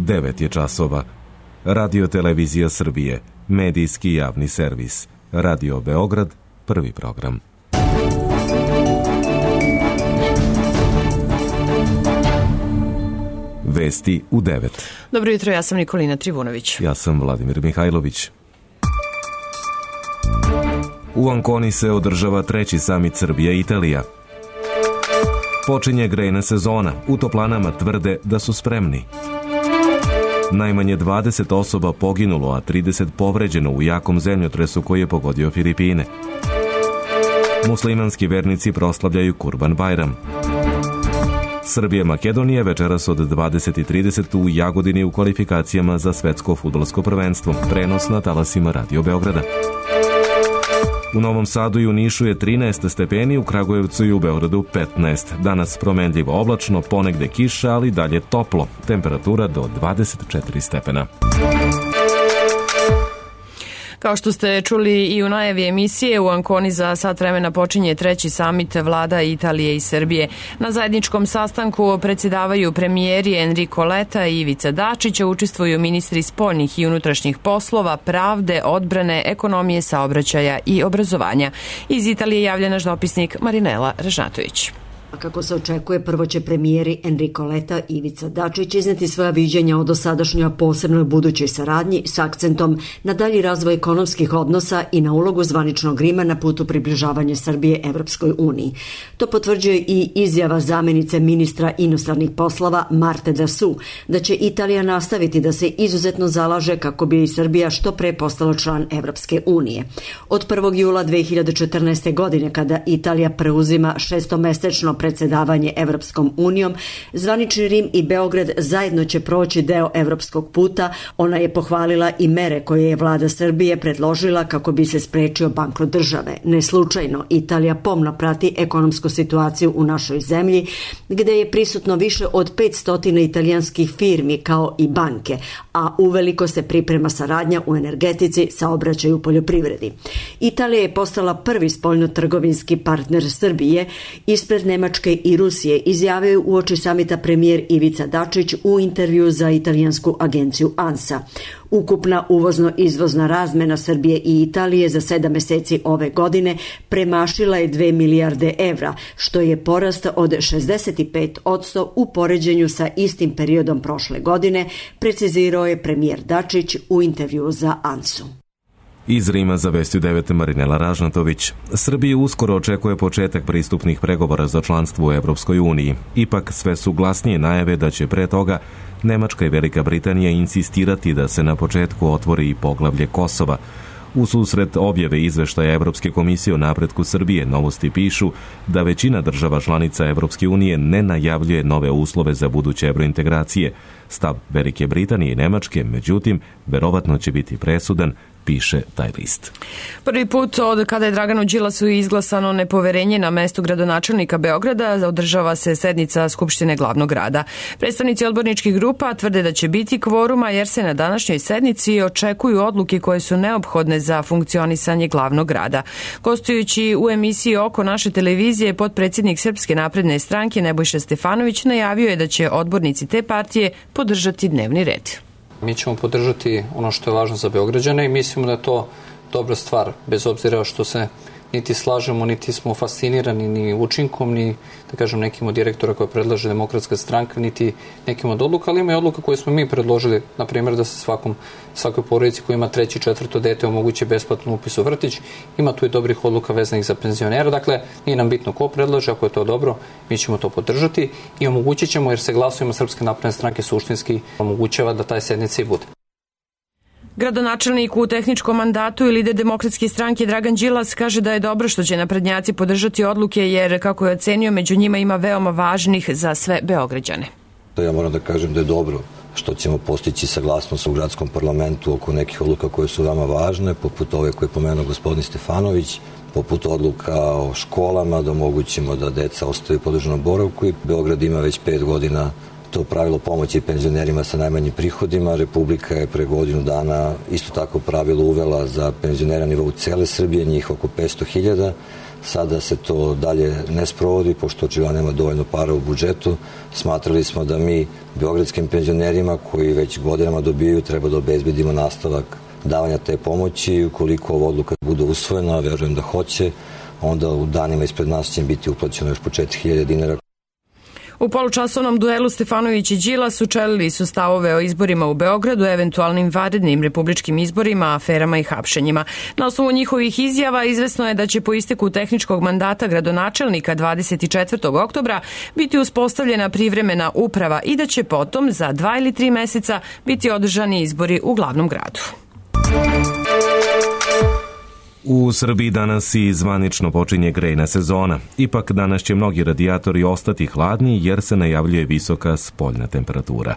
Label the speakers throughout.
Speaker 1: 9 je časova. Radio Televizija Srbije, medijski javni servis. Radio Beograd, prvi program. Vesti u 9.
Speaker 2: Dobro jutro, ja sam Nikolina Trivunović.
Speaker 1: Ja sam Vladimir Mihajlović. U Anconi se održava 3. samit Srbija-Italija. Počinje grejna sezona. U toplanama tvrde da su spremni. Najmanje 20 osoba poginulo, a 30 povređeno u jakom zemljotresu koji je pogodio Filipine. Muslimanski vernici proslavljaju Kurban Bajram. Srbija-Makedonija večeras od 20:30 u Jagodini u kvalifikacijama za svetsko fudbalsko prvenstvo. Prenos na talasima Radio Beograda. U Novom Sadu i u Nišu je 13 stepeni, u Kragujevcu i u Beogradu 15. Danas promenljivo oblačno, ponegde kiša, ali dalje toplo. Temperatura do 24 stepena.
Speaker 2: Kao što ste čuli i u najavi emisije, u Anconi za sat vremena počinje 3. samit vlada Italije i Srbije. Na zajedničkom sastanku predsjedavaju premijeri Enrico Letta i Ivica Dačić, učestvuju ministri spoljnih i unutrašnjih poslova, pravde, odbrane, ekonomije, saobraćaja i obrazovanja. Iz Italije javlja naš dopisnik Marinela Režnatović.
Speaker 3: Kako se očekuje, prvo će premijeri Enrico Letta i Ivica Dačić izneti svoja viđenja o dosadašnjoj, a posebno budućoj saradnji s akcentom na dalji razvoj ekonomskih odnosa i na ulogu zvaničnog Rima na putu približavanja Srbije Evropskoj uniji. To potvrđuje i izjava zamenice ministra inostranih poslova Marte da Su, da će Italija nastaviti da se izuzetno zalaže kako bi i Srbija što pre postala član Evropske unije. Od 1. jula 2014. godine, kada Italija preuzima šestomesečno predsjedavanje Evropskom unijom, zvanični Rim i Beograd zajedno će proći deo evropskog puta. Ona je pohvalila i mere koje je vlada Srbije predložila kako bi se sprečio bankrot države. Ne slučajno, Italija pomno prati ekonomsku situaciju u našoj zemlji, gde je prisutno više od 500 italijanskih firmi kao i banke, a uveliko se priprema saradnja u energetici, saobraćaju, poljoprivredi. Italija je postala prvi spoljno-trgovinski partner Srbije ispred Nemačke i Rusije, izjavio uoči samita premijer Ivica Dačić u intervju za italijansku agenciju ANSA. Ukupna uvozno-izvozna razmena Srbije i Italije za 7 meseci ove godine premašila je 2 milijarde evra, što je porast od 65% u poređenju sa istim periodom prošle godine, precizirao je premijer Dačić u intervju za ANSU.
Speaker 1: Iz Rima za Vesti u 9 Marinela Ražnatović. Srbija uskoro očekuje početak pristupnih pregovora za članstvo u Evropskoj uniji. Ipak sve su glasnije najave da će pre toga Nemačka i Velika Britanija insistirati da se na početku otvori i poglavlje Kosova. U susret objave izveštaja Evropske komisije o napretku Srbije, Novosti pišu da većina država članica Evropske unije ne najavljuje nove uslove za buduće evrointegracije. Stav Velike Britanije i Nemačke, međutim, verovatno će biti presudan, piše taj list.
Speaker 2: Prvi put od kada je Draganu Đilasu izglasano nepoverenje na mestu gradonačelnika Beograda održava se sednica Skupštine glavnog grada. Predstavnici odborničkih grupa tvrde da će biti kvoruma jer se na današnjoj sednici očekuju odluke koje su neophodne za funkcionisanje glavnog grada. Gostujući u emisiji Oko naše televizije, potpredsjednik Srpske napredne stranke Nebojša Stefanović najavio je da će odbornici te partije podržati dnevni red.
Speaker 4: Mi ćemo podržati ono što je važno za Beograđane i mislimo da je to dobra stvar, bez obzira što se niti slažemo, niti smo fascinirani ni učinkom, ni da kažem nekim od direktora koje predlaže Demokratska stranka, niti nekim od odluka, ali ima i odluka koje smo mi predložili, na primjer da se svakoj porodici koja ima 3. i 4. dete omogući besplatnu upis u vrtić. Ima tu i dobrih odluka vezanih za penzionera, dakle nije nam bitno ko predlaže, ako je to dobro, mi ćemo to podržati i omogućit ćemo, jer se glasovima Srpske napredne stranke suštinski omogućava da taj sednica i bude.
Speaker 2: Gradonačelnik u tehničkom mandatu i lider Demokratske stranke Dragan Đilas kaže da je dobro što će naprednjaci podržati odluke jer, kako je ocenio, među njima ima veoma važnih za sve Beograđane.
Speaker 5: Ja moram da kažem da je dobro što ćemo postići saglasnost u gradskom parlamentu oko nekih odluka koje su veoma važne, poput ove koje je pomenuo gospodin Stefanović, poput odluka o školama, da omogućimo da deca ostaju u podržanom boravku i Beograd ima već 5 godina to pravilo pomoći penzionerima sa najmanjim prihodima. Republika je pre godinu dana isto tako pravilo uvela za penzionera na nivou cele Srbije, njih oko 500.000. Sada se to dalje ne sprovodi, pošto očigledno nema dovoljno para u budžetu. Smatrali smo da mi beogradskim penzionerima koji već godinama dobijaju treba da obezbedimo nastavak davanja te pomoći. Ukoliko ova odluka bude usvojena, verujem da hoće, onda u danima ispred nas će biti uplaćeno još po 4.000 dinara.
Speaker 2: U polučasovnom duelu Stefanović i Đilas učelili su stavove o izborima u Beogradu, eventualnim vanrednim republičkim izborima, aferama i hapšenjima. Na osnovu njihovih izjava izvesno je da će po isteku tehničkog mandata gradonačelnika 24. oktobra biti uspostavljena privremena uprava i da će potom za 2 ili 3 meseca biti održani izbori u glavnom gradu.
Speaker 1: U Srbiji danas i zvanično počinje grejna sezona. Ipak danas će mnogi radijatori ostati hladni jer se najavljuje visoka spoljna temperatura.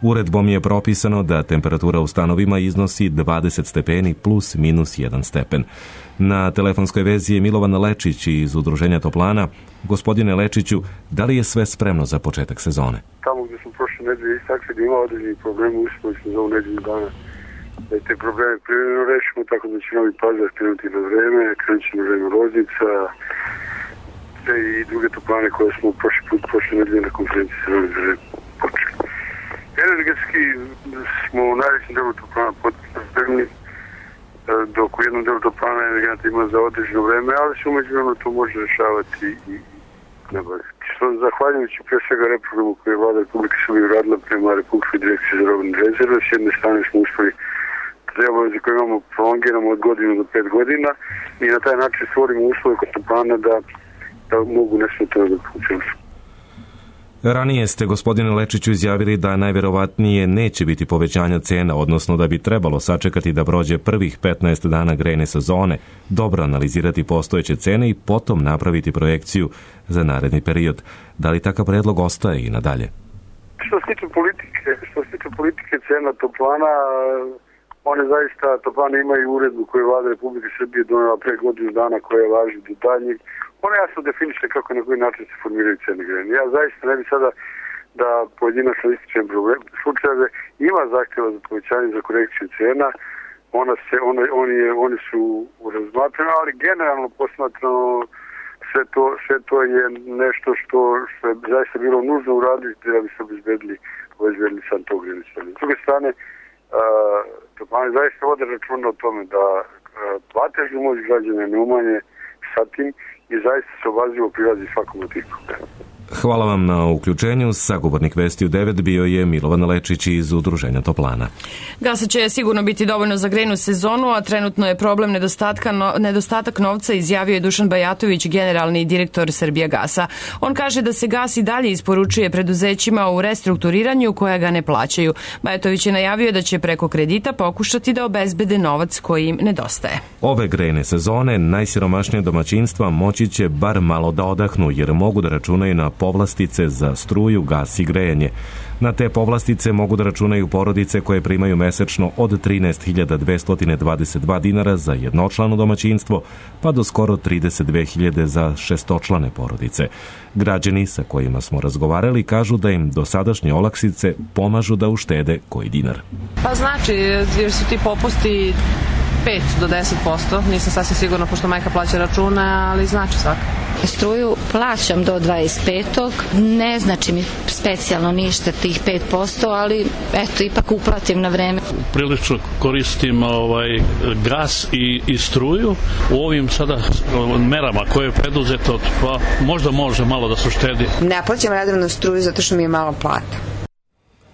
Speaker 1: Uredbom je propisano da temperatura u stanovima iznosi 20 stepeni plus minus 1 stepen. Na telefonskoj vezi je Milovan Lečić iz Udruženja Toplana. Gospodine Lečiću, da li je sve spremno za početak sezone?
Speaker 6: Tamo gdje smo prošle nedelje istakli da ima određeni problemi, uspeli smo za ovu nedelju dana da te probleme privremeno rešimo, tako da će Novi Pazar krenuti na vreme, krenut će na vreme Loznica i druge toplane koje smo prošle nedelje na konferenciji sa Novi Pazar počeli. Energetski smo u najvećem delu toplana potpuno spremni, dok u jednom delu toplana energenta ima za određeno vreme, ali se umeđu vremenu to može rešavati i nabolje. Što zahvaljujući pre svega reprogramu koje je Vlada Republike Srbije uradila prema Republičkoj direkciji za robne rezerve, s jedne strane smo uspeli te obaveze koje imamo prolongiramo od godinu do 5 godina i na taj način stvorimo uslove kod toplana da mogu nesmetano da funkcionišu.
Speaker 1: Ranije ste, gospodine Lečiću, izjavili da najverovatnije neće biti povećanja cena, odnosno da bi trebalo sačekati da prođe prvih 15 dana grejne sezone, dobro analizirati postojeće cene i potom napraviti projekciju za naredni period. Da li takav predlog ostaje i nadalje?
Speaker 6: Što se tiče politike cena toplana, one zaista, toplane imaju uredbu koju je Vlada Republike Srbije donela pre godinu dana koja važi do daljnjeg. Ona jasno definiše kako na koji način se formiraju cene grejanja. Ja zaista ne bi sada da pojedinačno ističem slučajeve. Ima zahtjeva za povećanje za korekciju cena. Oni su razmatrani, ali generalno posmatrano sve to je nešto što je zaista bilo nužno uraditi da bi se obezbedili sam tog grejanja. S druge strane, toplane zaista vode računa o tome da platežnu moć građana ne umanje sa tim i zaista se obazivo prilazi svakom od tih problema.
Speaker 1: Hvala vam na uključenju. Sagovornik Vesti u 9 bio je Milovan Lečić iz Udruženja Toplana.
Speaker 2: Gasa će sigurno biti dovoljno za grejnu sezonu, a trenutno je problem nedostatak novca, izjavio je Dušan Bajatović, generalni direktor Srbijagasa. On kaže da se gas i dalje isporučuje preduzećima u restrukturiranju koja ga ne plaćaju. Bajatović je najavio da će preko kredita pokušati da obezbede novac koji im nedostaje.
Speaker 1: Ove grejne sezone najsiromašnije domaćinstva moći će bar malo da odahnu jer mogu da računaju na povlastice za struju, gas i grejanje. Na te povlastice mogu da računaju porodice koje primaju mesečno od 13.222 dinara za jednočlano domaćinstvo, pa do skoro 32.000 za šestočlane porodice. Građani sa kojima smo razgovarali kažu da im dosadašnje olakšice pomažu da uštede koji dinar.
Speaker 7: Pa znači, jer su ti popusti 5 do 10%, nisam sasvim sigurna pošto majka plaća račune, ali znači svaka.
Speaker 8: Struju plaćam do 25. Ne znači mi specijalno ništa tih 5%, ali eto, ipak uplatim na vreme.
Speaker 9: Prilično koristim gas i struju. U ovim sada merama koje je preduzeto, pa možda može malo da se uštedi.
Speaker 10: Ne plaćam redovno struju zato što mi je malo plata.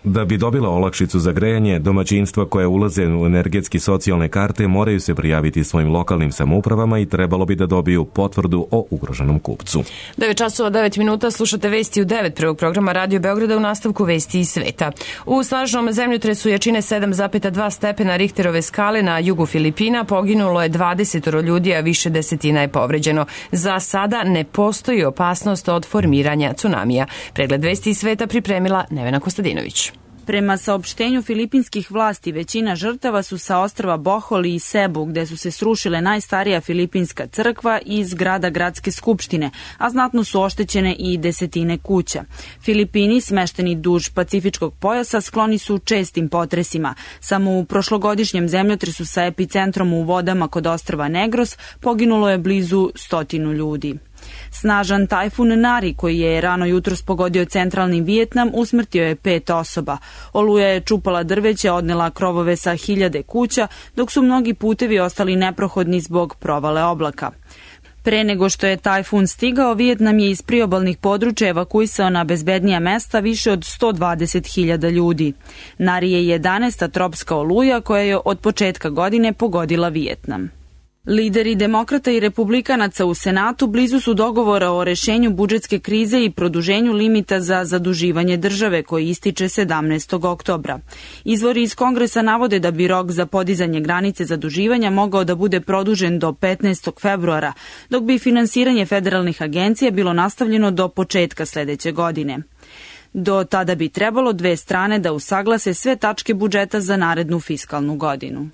Speaker 1: Da bi dobila olakšicu za grejanje, domaćinstva koje ulaze u energetski socijalne karte moraju se prijaviti svojim lokalnim samoupravama i trebalo bi da dobiju potvrdu o ugroženom kupcu.
Speaker 2: 9 časova 9 minuta, slušate Vesti u 9 prvog programa Radio Beograda, u nastavku Vesti iz sveta. U snažnom zemljotresu jačine 7,2 stepena Richterove skale na jugu Filipina poginulo je 20 ljudi, a više desetina je povređeno. Za sada ne postoji opasnost od formiranja cunamija. Pregled Vesti iz sveta pripremila Nevena Kostadinović.
Speaker 11: Prema saopštenju filipinskih vlasti, većina žrtava su sa ostrva Bohol i Sebu, gde su se srušile najstarija filipinska crkva i zgrada gradske skupštine, a znatno su oštećene i desetine kuća. Filipini, smešteni duž Pacifičkog pojasa, skloni su čestim potresima. Samo u prošlogodišnjem zemljotresu sa epicentrom u vodama kod ostrva Negros poginulo je blizu 100 ljudi. Snažan tajfun Nari, koji je rano jutros pogodio centralni Vijetnam, usmrtio je 5 osoba. Oluja je čupala drveće, odnela krovove sa 1000 kuća, dok su mnogi putevi ostali neprohodni zbog provale oblaka. Pre nego što je tajfun stigao, Vijetnam je iz priobalnih područja evakuisao na bezbednija mesta više od 120.000 ljudi. Nari je 11. tropska oluja koja je od početka godine pogodila Vijetnam. Lideri demokrata i republikanaca u Senatu blizu su dogovora o rešenju budžetske krize i produženju limita za zaduživanje države koji ističe 17. oktobra. Izvori iz Kongresa navode da bi rok za podizanje granice zaduživanja mogao da bude produžen do 15. februara, dok bi finansiranje federalnih agencija bilo nastavljeno do početka sledeće godine. Do tada bi trebalo dve strane da usaglase sve tačke budžeta za narednu fiskalnu godinu.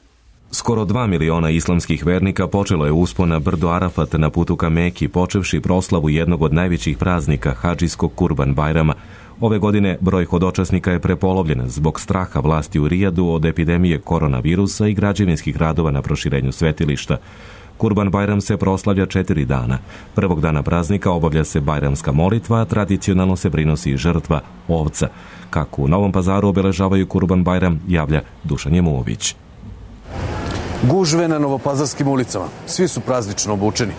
Speaker 1: Skoro 2 miliona islamskih vernika počelo je uspon na brdo Arafat na putu ka Meki, počevši proslavu jednog od najvećih praznika, hadžijskog Kurban Bajrama. Ove godine broj hodočasnika je prepolovljen zbog straha vlasti u Rijadu od epidemije koronavirusa i građevinskih radova na proširenju svetilišta. Kurban Bajram se proslavlja 4 dana. Prvog dana praznika obavlja se bajramska molitva, a tradicionalno se prinosi žrtva ovca. Kako u Novom Pazaru obeležavaju Kurban Bajram, javlja Dušan Jemović.
Speaker 12: Gužve na novopazarskim ulicama. Svi su praznično obučeni.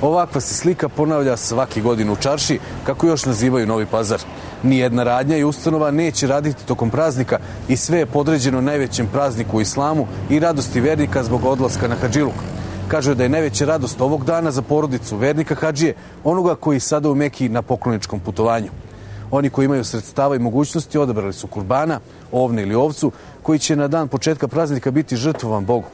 Speaker 12: Ovakva se slika ponavlja svaki godin u čarši, kako još nazivaju Novi Pazar. Nijedna radnja i ustanova neće raditi tokom praznika i sve je podređeno najvećem prazniku u islamu i radosti vernika zbog odlaska na hadžiluk. Kažu da je najveća radost ovog dana za porodicu vernika hadžije, onoga koji sada u Meki na pokloničkom putovanju. Oni koji imaju sredstava i mogućnosti odabrali su kurbana, ovne ili ovcu, koji će na dan početka praznika biti žrtvovan Bogu.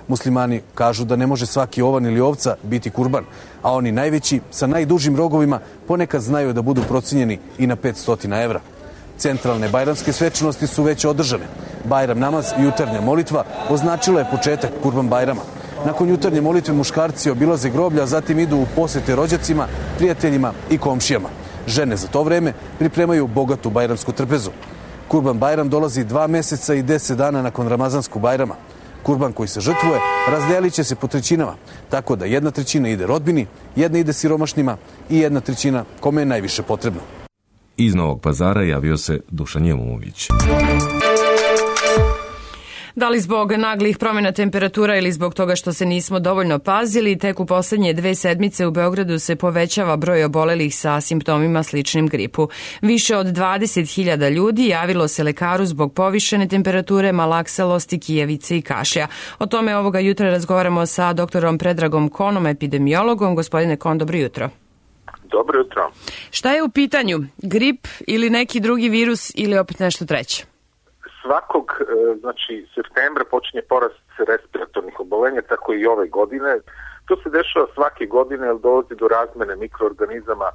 Speaker 12: Muslimani kažu da ne može svaki ovan ili ovca biti kurban, a oni najveći, sa najdužim rogovima, ponekad znaju da budu procenjeni i na 500 evra. Centralne bajramske svečanosti su već održane. Bajram namaz i jutarnja molitva označila je početak Kurban Bajrama. Nakon jutarnje molitve muškarci obilaze groblja, a zatim idu u posete rođacima, prijateljima i komšijama. Žene za to vreme pripremaju bogatu bajramsku trpezu. Kurban Bajram dolazi 2 meseca i 10 dana nakon Ramazanskog Bajrama. Kurban koji se žrtvuje razdelit će se po trećinama, tako da 1/3 ide rodbini, 1 ide siromašnima i 1/3 kome je najviše potrebno.
Speaker 1: Iz Novog Pazara javio se Dušan Jemović.
Speaker 2: Da li zbog naglih promjena temperatura ili zbog toga što se nismo dovoljno pazili, tek u poslednje 2 sedmice u Beogradu se povećava broj obolelih sa simptomima sličnim gripu. Više od 20.000 ljudi javilo se lekaru zbog povišene temperature, malaksalosti, kijevice i kašlja. O tome ovoga jutra razgovaramo sa doktorom Predragom Konom, epidemiologom. Gospodine Kon, dobro jutro.
Speaker 13: Dobro jutro.
Speaker 2: Šta je u pitanju? Grip ili neki drugi virus ili opet nešto treće?
Speaker 13: Svakog, septembra počinje porast respiratornih obolenja, tako i ove godine. To se dešava svake godine, jer dolazi do razmene mikroorganizama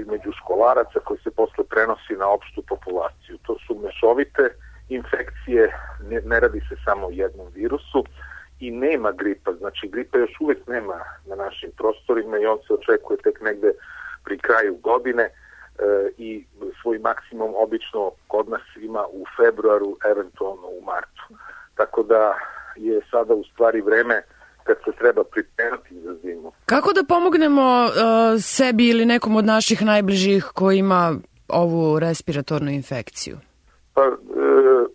Speaker 13: između školaraca koji se posle prenosi na opštu populaciju. To su mešovite infekcije, ne radi se samo o jednom virusu i nema gripa. Znači, gripa još uvek nema na našim prostorima i on se očekuje tek negde pri kraju godine. I svoj maksimum obično kod nas ima u februaru, eventualno u martu. Tako da je sada u stvari vreme kad se treba pripremati za zimu.
Speaker 2: Kako da pomognemo sebi ili nekom od naših najbližih koji ima ovu respiratornu infekciju?
Speaker 13: Pa,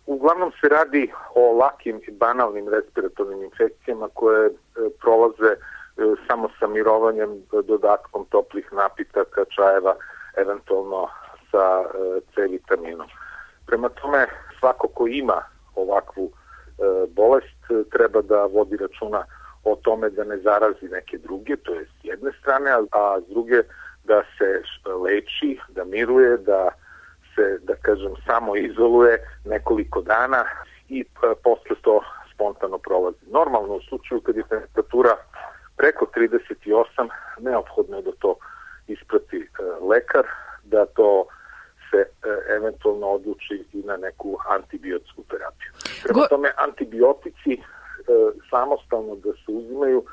Speaker 13: uglavnom se radi o lakim i banalnim respiratornim infekcijama koje prolaze samo sa mirovanjem, dodatkom toplih napitaka, čajeva, eventualno sa C vitaminom. Prema tome, svako ko ima ovakvu bolest treba da vodi računa o tome da ne zarazi neke druge, to je s jedne strane, a s druge da se leči, da miruje, da se, da kažem, samo izoluje nekoliko dana i posle to spontano prolazi. Normalno, u slučaju kad je temperatura preko 38, neophodno je da to isprati lekar, da to se eventualno odluči i na neku antibiotsku terapiju. Prema tome, antibiotici samostalno da se uzimaju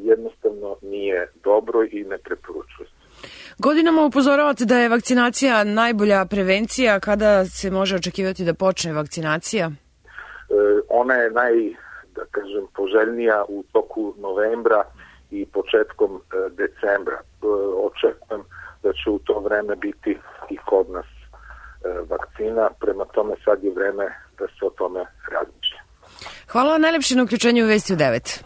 Speaker 13: jednostavno nije dobro i ne preporučuje se.
Speaker 2: Godinama upozoravate da je vakcinacija najbolja prevencija. Kada se može očekivati da počne vakcinacija?
Speaker 13: Ona je poželjnija u toku novembra i početkom decembra. Očekujem da će u to vreme biti i kod nas vakcina, prema tome sad je vreme da se o tome razmišlja.
Speaker 2: Hvala najlepše na uključenju u Vesti u 9.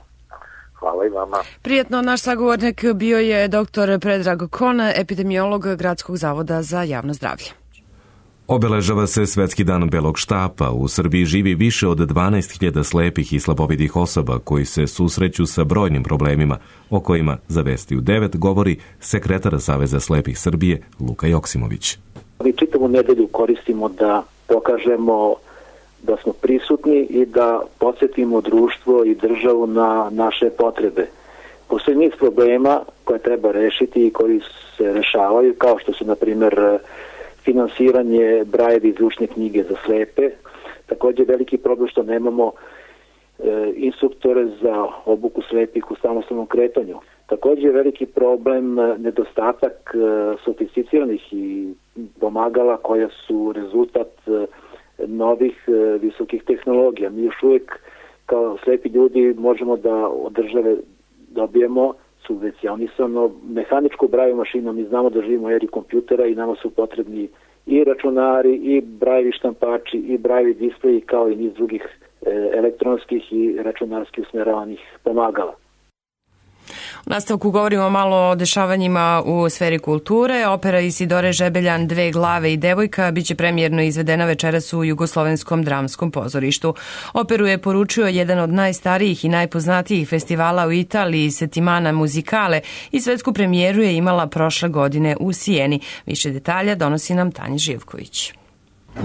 Speaker 13: Hvala i vama.
Speaker 2: Prijetno, naš sagovornik bio je dr. Predrag Kon, epidemiolog Gradskog zavoda za javno zdravlje.
Speaker 1: Obeležava se Svetski dan belog štapa. U Srbiji živi više od 12.000 slepih i slabovidih osoba koji se susreću sa brojnim problemima, o kojima za Vesti u 9 govori sekretar Saveza slepih Srbije Luka Joksimović.
Speaker 14: Mi čitavu nedelju koristimo da pokažemo da smo prisutni i da podsjetimo društvo i državu na naše potrebe. Postoji niz problema koje treba rešiti i koji se rešavaju, kao što su, na primjer, finansiranje Brajevi i zvučne knjige za slepe. Također veliki problem što nemamo instruktore za obuku slepih u samostalnom kretanju. Također veliki problem nedostatak sofisticiranih i pomagala koja su rezultat novih visokih tehnologija. Mi još uvijek kao slepi ljudi možemo da od države dobijemo subvencionisano mehaničku brajevu mašinu. Mi znamo da živimo u eri kompjutera i nama su potrebni i računari, i brajevi štampači, i brajevi displeji, kao i niz drugih elektronskih i računarskih usmeravanih pomagala.
Speaker 2: U nastavku govorimo malo o dešavanjima u sferi kulture. Opera Isidore Žebeljan Dve glave i devojka biće premijerno izvedena večeras u Jugoslovenskom dramskom pozorištu. Operu je poručio jedan od najstarijih i najpoznatijih festivala u Italiji, Settimana Musicale, i svetsku premijeru je imala prošle godine u Sijeni. Više detalja donosi nam Tanja Živković.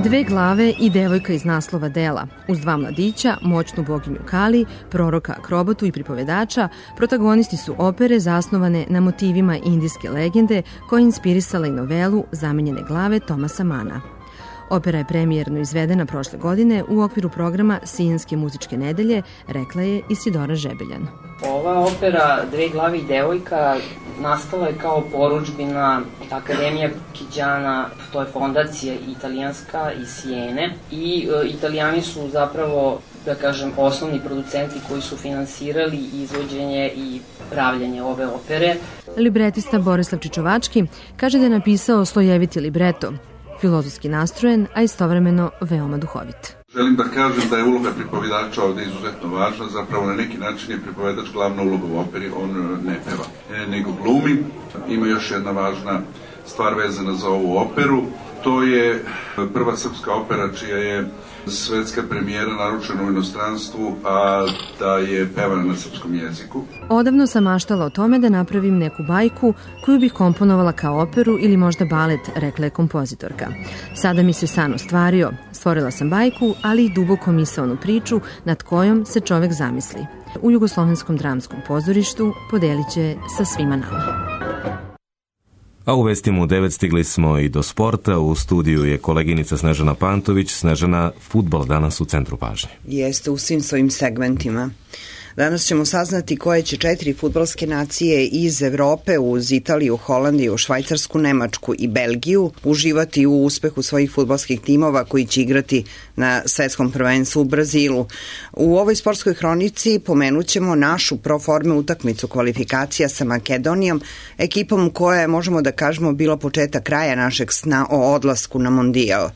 Speaker 15: Dve glave i devojka iz naslova dela. Uz dva mladića, moćnu boginju Kali, proroka akrobotu i pripovedača, protagonisti su opere zasnovane na motivima indijske legende koja je inspirisala i novelu Zamenjene glave Tomasa Mana. Opera je premijerno izvedena prošle godine u okviru programa Sijenske muzičke nedelje, rekla je Isidora Žebeljan.
Speaker 16: Ova opera Dve glave i devojka nastala je kao porudžbina Akademija Kiđana, to je fondacija italijanska iz Sijene, i Italijani su zapravo, da kažem, osnovni producenti koji su finansirali izvođenje i pravljanje ove opere.
Speaker 15: Libretista Borislav Čičovački kaže da je napisao slojeviti libreto, filozofski nastrojen, a istovremeno veoma duhovit.
Speaker 17: Želim da kažem da je uloga pripovedača ovde izuzetno važna, zapravo na neki način je pripovedač glavna uloga u operi, on ne peva, nego glumi. Ima još jedna važna stvar vezana za ovu operu, to je prva srpska opera čija je svetska premijera naručena u inostranstvu, a da je pevana na srpskom jeziku.
Speaker 15: Odavno sam maštala o tome da napravim neku bajku koju bih komponovala kao operu ili možda balet, rekla je kompozitorka. Sada mi se san ostvario. Stvorila sam bajku, ali i duboko misaonu priču nad kojom se čovek zamisli. U Jugoslovenskom dramskom pozorištu podelit će sa svima nama.
Speaker 1: A u Vestima u 9 stigli smo i do sporta. U studiju je koleginica Snežana Pantović. Snežana, fudbal danas u centru pažnje.
Speaker 10: Jeste, u svim svojim segmentima. Danas ćemo saznati koje će 4 fudbalske nacije iz Evrope uz Italiju, Holandiju, Švajcarsku, Nemačku i Belgiju uživati u uspehu svojih fudbalskih timova koji će igrati na svetskom prvenstvu u Brazilu. U ovoj sportskoj hronici pomenut ćemo našu proforme utakmicu kvalifikacija sa Makedonijom, ekipom koja je, možemo da kažemo, bila početak kraja našeg sna o odlasku na Mondijal.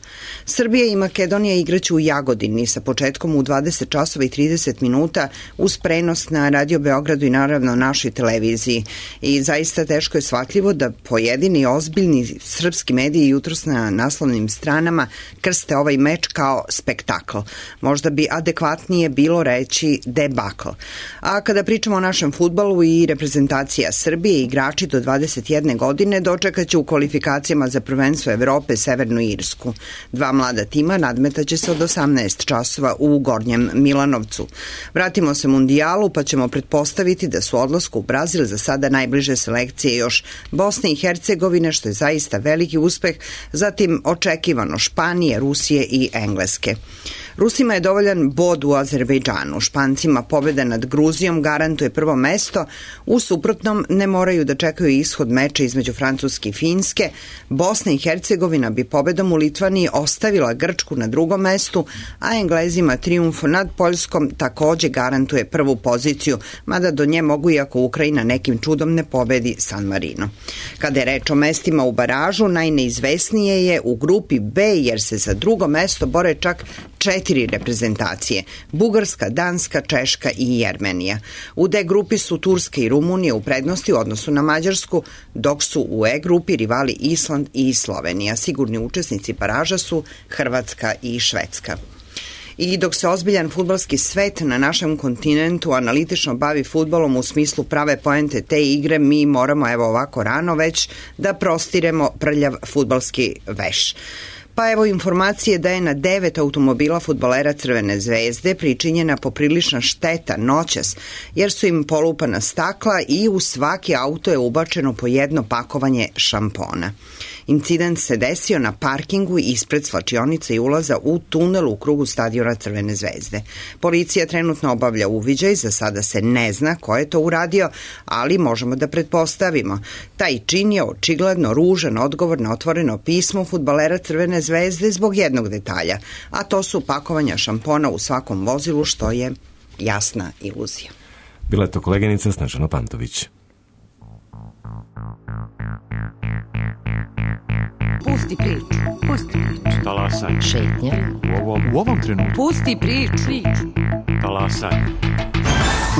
Speaker 10: Srbija i Makedonija igraću u Jagodini sa početkom u 20 časova i 30 minuta uz prenos na Radio Beogradu i naravno našoj televiziji. I zaista teško je shvatljivo da pojedini ozbiljni srpski mediji jutros na naslovnim stranama krste ovaj meč kao spektakl. Možda bi adekvatnije bilo reći debakl. A kada pričamo o našem fudbalu i reprezentacija Srbije, igrači do 21 godine dočekaće u kvalifikacijama za prvenstvo Evrope Severnu Irsku. Dva mlada tima nadmetaće se od 18 časova u Gornjem Milanovcu. Vratimo se Mundijalu mondijalu, pa ćemo pretpostaviti da su odlasku u Brazil za sada najbliže selekcije još Bosne i Hercegovine, što je zaista veliki uspeh, zatim očekivano Španije, Rusije i Engleske. Rusima je dovoljan bod u Azerbejdžanu, Špancima pobjeda nad Gruzijom garantuje prvo mesto, u suprotnom ne moraju da čekaju ishod meča između Francuske i Finske. Bosna i Hercegovina bi pobedom u Litvaniji ostavila Grčku na drugom mestu, a Englezima trijumf nad Poljskom takođe garantuje prvu poziciju, mada do nje mogu iako Ukrajina nekim čudom ne pobedi San Marino. Kada je reč o mestima u baražu, najneizvesnije je u grupi B, jer se za drugo mesto bore čak 4 reprezentacije: Bugarska, Danska, Češka i Jermenija. U D grupi su Turska i Rumunija u prednosti u odnosu na Mađarsku, dok su u E grupi rivali Island i Slovenija. Sigurni učesnici baraža su Hrvatska i Švedska. I dok se ozbiljan fudbalski svet na našem kontinentu analitično bavi fudbalom u smislu prave poente te igre, mi moramo evo ovako rano već da prostiremo prljav fudbalski veš. Pa evo informacije da je na 9 automobila fudbalera Crvene zvezde pričinjena poprilična šteta noćas, jer su im polupana stakla i u svaki auto je ubačeno po jedno pakovanje šampona. Incident se desio na parkingu ispred svlačionice i ulaza u tunel u krugu stadiona Crvene zvezde. Policija trenutno obavlja uviđaj, za sada se ne zna ko je to uradio, ali možemo da pretpostavimo. Taj čin je očigledno ružan odgovor na otvoreno pismo fudbalera Crvene zvezde zbog jednog detalja, a to su pakovanja šampona u svakom vozilu, što je jasna iluzija.
Speaker 1: Bila je to koleginica Snežana Pantović.
Speaker 18: Pusti priču. Pusti priču.
Speaker 19: Talasaj.
Speaker 18: Šetnja.
Speaker 19: U ovom trenutku.
Speaker 18: Pusti priču.
Speaker 19: Talasaj.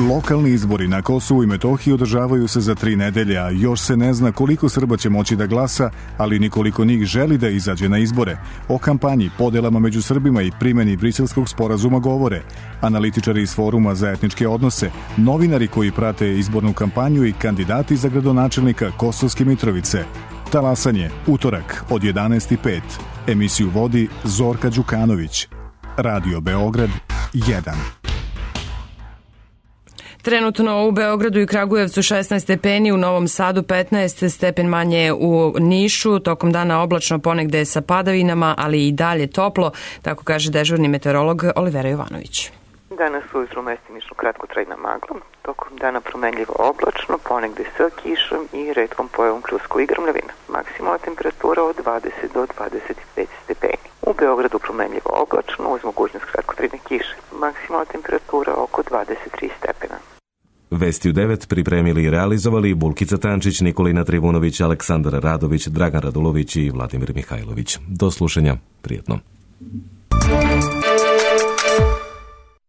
Speaker 20: Lokalni izbori na Kosovu i Metohiji održavaju se za 3 nedelje, a još se ne zna koliko Srba će moći da glasa, ali nikoliko njih želi da izađe na izbore. O kampanji, podelama među Srbima i primjeni Briselskog sporazuma govore analitičari iz Foruma za etničke odnose, novinari koji prate izbornu kampanju i kandidati za gradonačelnika Kosovske Mitrovice. Talasanje, utorak od 11:05. Emisiju vodi Zorka Đukanović. Radio Beograd 1.
Speaker 2: Trenutno u Beogradu i Kragujevcu 16 stepeni, u Novom Sadu 15 stepen manje, u Nišu tokom dana oblačno, ponegde sa padavinama, ali i dalje toplo, tako kaže dežurni meteorolog Olivera Jovanović.
Speaker 21: Danas ujutru mestimično kratkotrajna magla, tokom dana promenljivo oblačno, ponegde sa kišom i retkom pojavom pljusku i grmljavina. Maksimalna temperatura od 20 do 25 stepeni. U Beogradu promenljivo oblačno uz mogućnost kratkotrajne kiše. Maksimalna temperatura oko 23 stepena.
Speaker 1: Vesti u 9 pripremili i realizovali Bulkica Tančić, Nikolina Trivunović, Aleksandar Radović, Dragan Radulović i Vladimir Mihajlović. Do slušanja, prijetno.